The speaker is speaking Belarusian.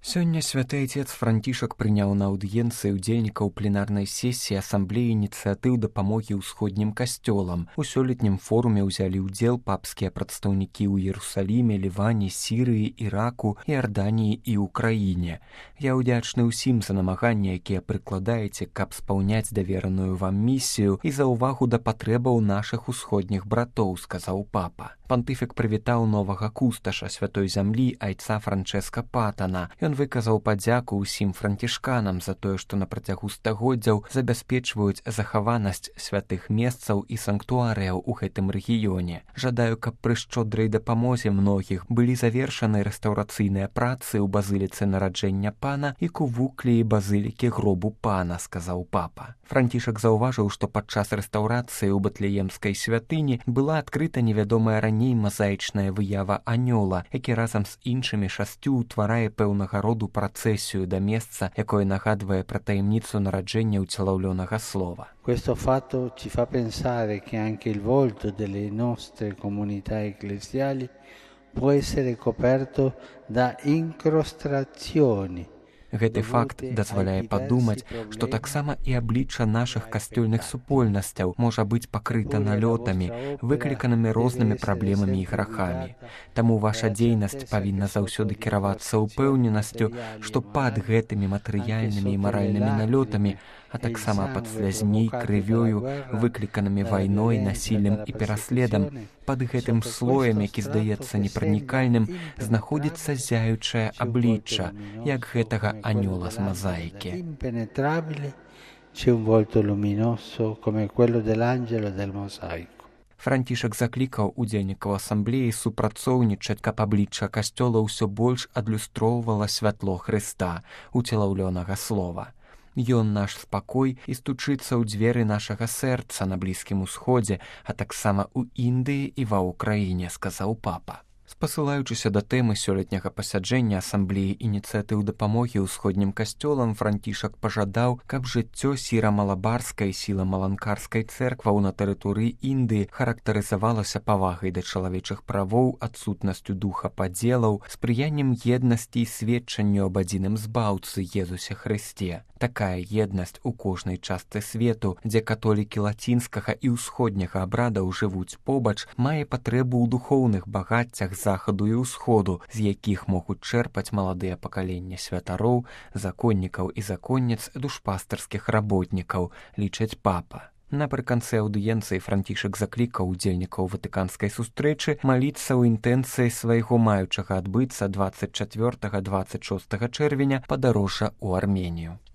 Сёння святы отец Францішак прыняў на аўдыенцыі ўдзельнікаў пленарнай сесіі асамблеі ініцыятыў дапамогі ўсходнім касцёлам. У сёлетнім форуме ўзялі ўдзел папскія прадстаўнікі ў Іерусаліме, Ліване, Сірыі, Іраку, Іарданіі і ўкраіне. Я ўдзячны ўсім за намаганні, якія прыкладаеце, каб спаўняць давераную вам місію і за ўвагу да патрэбаў нашых усходніх братоў, сказаў папа. Пантыфік прывітаў новага кусташа святой зямлі айца Франчэска Патана. Ён выказаў падзяку ўсім францішканам за тое, што на працягу стагоддзяў забяспечваюць захаванасць святых месцаў і санктуарыяў у гэтым рэгіёне. Жадаю, каб пры шчодрай дапамозе многіх былі завершаны рэстаўрацыйныя працы ў базыліцы нараджэння пана і кувукліі базылікі гробу пана, сказаў папа. Францішак заўважыў, што падчас рэстаўрацыі ў Батлеемскай святыні была адкрыта невядомая раней мазаічная выява анёла, які разам з іншымі 6 утварае пэўнага роду працэсію да месца, якое нагадвае пра таямніцу нараджэння ўцелаўлёнага слова. Questo fatto ci fa pensare che anche il volto delle nostre comunità ecclesiali può essere coperto da incrostazioni. Гэты факт дазваляе падумаць, што таксама і аблічча нашых касцёльных супольнасцяў можа быць пакрыта налётамі, выкліканымі рознымі праблемамі і грахамі. Таму ваша дзейнасць павінна заўсёды кіравацца ўпэўненасцю, што пад гэтымі матэрыяльнымі і маральнымі налётамі, а таксама пад слязьмі, крывёю, выкліканымі вайной, насіллем і пераследам, пад гэтым слоем, які здаецца непранікальным, знаходзіцца зяючае аблічча, як гэтага анёла з мазаікі. Францішак заклікаў удзельнікаў асамблеі супрацоўнічаць, каб аблічча касцёла ўсё больш адлюстроўвала святло Хрыста, уцелаўлёнага слова. Ён наш спакой і стучыцца ў дзверы нашага сэрца на Блізкім Усходзе, а таксама ў Індыі і ва ўкраіне, сказаў папа. Спасылаючыся да тэмы сёлетняга пасяджэння асамблеі ініцыятыў дапамогі ўсходнім касцёлам, Францішак пажадаў, каб жыццё сіра-малабарскай і сіла-маланкарскай цэркваў на тэрыторыі Індыі характарызавалася павагай да чалавечых правоў, адсутнасцю духа падзелаў, спрыяннем еднасці і сведчанню аб адзіным збаўцы Езусе Хрысце. Такая еднасць у кожнай частцы свету, дзе католікі лацінскага і ўсходняга абрадаў жывуць побач, мае патрэбу ў духоўных багаццях захаду і ўсходу, з якіх могуць чэрпаць маладыя пакаленні святароў, законнікаў і законніц, душпастарскіх работнікаў, лічаць папа. Напрыканцы аўдыенцыі Францішак заклікаў удзельнікаў ватыканскай сустрэчы маліцца ў інтэнцыі свайго маючага адбыцца 24-26 чэрвеня падарожжа ў Арменію.